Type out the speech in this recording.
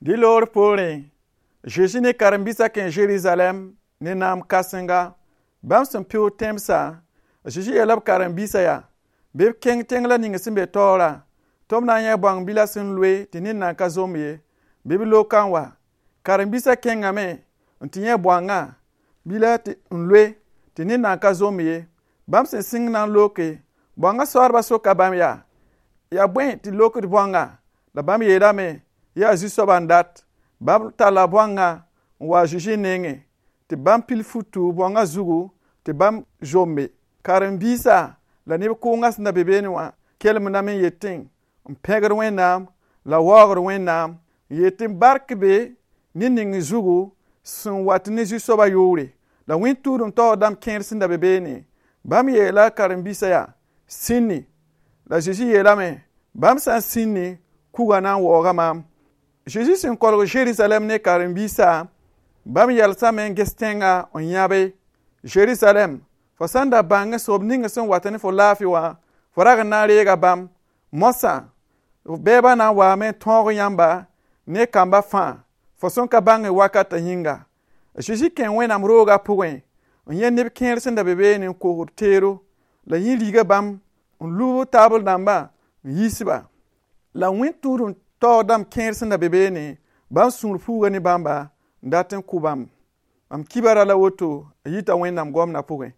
Dɩ loor poorẽ, Zezi ne karen-biisã kẽ Zerizalɛm ne naam kãsenga. Bãmb sẽn pɩʋʋg tẽmsã, a Zezi yeela b karen-biisã yaa: Bɩ b kẽng tẽng la ning sẽn be taoorã, tɩ b na n yã bõang bila sẽn loe tɩ ned nan ka zomb ye. Bɩ b loka n wa. Karen-biisã kẽngame n tɩ yã bõangã bila n loe tɩ ned nan ka zomb ye. Bãmb sẽn sɩng na n loke, bõangã soaadbã soka bãmb yaa: Yaa bõe tɩ lokd bõangã? La bãmb yeelame: Yaa Zu-soabã n dat. Bãmb talla bõangã n wa a Zezi nengẽ, tɩ bãmb pil futu bõangã zugu tɩ bãmb zombe. Karen-biisã la neb kʋʋngã sẽn da be beene wã kelemdame n yetẽ n pẽgd Wẽnnaam la waoogd Wẽnnaam n yetẽ: Bark be ned ning zugu sẽn wat ne Zu-soabã yʋʋre. La wẽn-tũudem taoor dãmb kẽer sẽn da be beene, bãmb yeela karen-biisã yaa: Sĩndi. La Zezi yeelame: Bãmb sã n sĩndi, kuga na n waooga maam. Zezi sẽn kolg Zerizalɛm ne karen-biisã, bãmb yɛlsame n ges tẽngã n yãbe: Zerizalɛm, fo sã n da bãng soab ning sẽn wat ne fo laafɩ wã, fo rag n na n reega bãmb. Moasã, bɛɛbã na n waame n tõog yãmba ne kamba fãa, fo sẽn ka bãng wakatã yĩnga. Zezi kẽ Wẽnnaam roogã pʋgẽ n yẽ neb kẽer sẽn da be beene n kosd teero, la yẽ riiga bãmb n lub taabl dãmbã n yiis-ba. La wẽn-tũudem taoor dãmb kẽer sẽn da be beene, bãmb sũur puuga ne bãmba n dat n kʋ bãmb. Mam kibara la woto, a yita Wẽnnaam goamdã pʋgẽ.